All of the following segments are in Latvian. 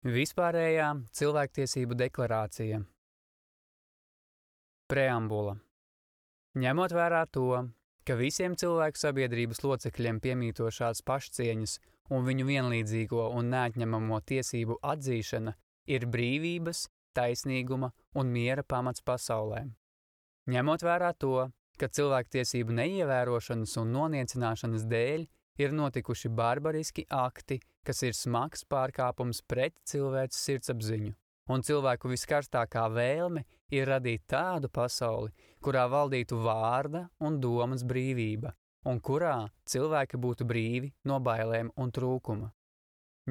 Vispārējā cilvēktiesību deklarācija. Preambula. Ņemot vērā to, ka visiem cilvēku sabiedrības locekļiem piemītošās pašcieņas un viņu vienlīdzīgo un neatņemamo tiesību atzīšana ir brīvības, taisnīguma un miera pamats pasaulē. Ņemot vērā to, ka cilvēktiesību neievērošanas un noniecināšanas dēļ ir notikuši barbariski akti, kas ir smags pārkāpums pret cilvēces sirdsapziņu, un cilvēku viskarstākā vēlme ir radīt tādu pasauli, kurā valdītu vārda un domas brīvība, un kurā cilvēki būtu brīvi no bailēm un trūkuma.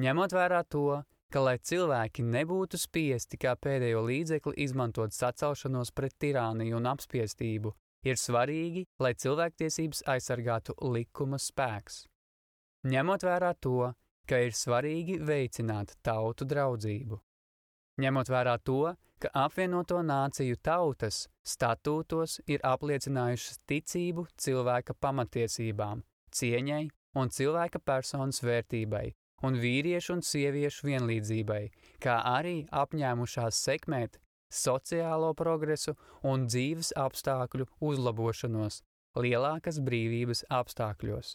Ņemot vērā to, ka, lai cilvēki nebūtu spiesti kā pēdējo līdzekli izmantot sacelšanos pret tirāniju un apspiestību, ir svarīgi, lai cilvēktiesības aizsargātu likuma spēks. Ņemot vērā to, ka ir svarīgi veicināt tautu draudzību. Ņemot vērā to, ka apvienoto nāciju tautas statūtos ir apliecinājušas ticību cilvēka pamatiesībām, cieņai un cilvēka personas vērtībai un vīriešu un sieviešu vienlīdzībai, kā arī apņēmušās sekmēt sociālo progresu un dzīves apstākļu uzlabošanos lielākas brīvības apstākļos.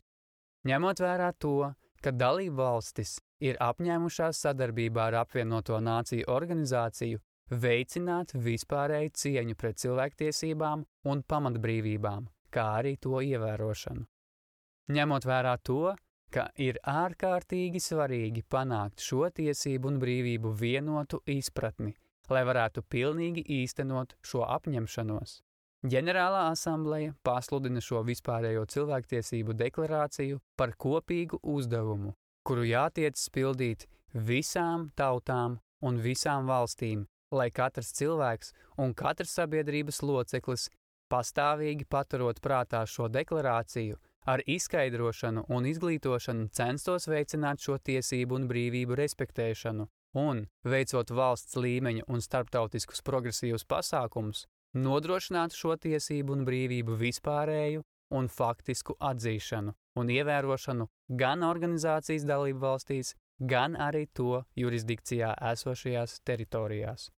Ņemot vērā to, ka dalību valstis ir apņēmušās sadarbībā ar apvienoto nāciju organizāciju veicināt vispārēju cieņu pret cilvēktiesībām un pamatbrīvībām, kā arī to ievērošanu. Ņemot vērā to, ka ir ārkārtīgi svarīgi panākt šo tiesību un brīvību vienotu izpratni, lai varētu pilnīgi īstenot šo apņemšanos. Ģenerālā asambleja pasludina šo vispārējo cilvēktiesību deklarāciju par kopīgu uzdevumu, kuru jātiecas pildīt visām tautām un visām valstīm, lai katrs cilvēks un katrs sabiedrības loceklis pastāvīgi paturot prātā šo deklarāciju, ar izskaidrošanu un izglītošanu censtos veicināt šo tiesību un brīvību respektēšanu un, veicot valsts līmeņa un starptautiskus progresīvus pasākumus, nodrošināt šo tiesību un brīvību vispārēju un faktisku atzīšanu un ievērošanu gan organizācijas dalību valstīs, gan arī to jurisdikcijā esošajās teritorijās.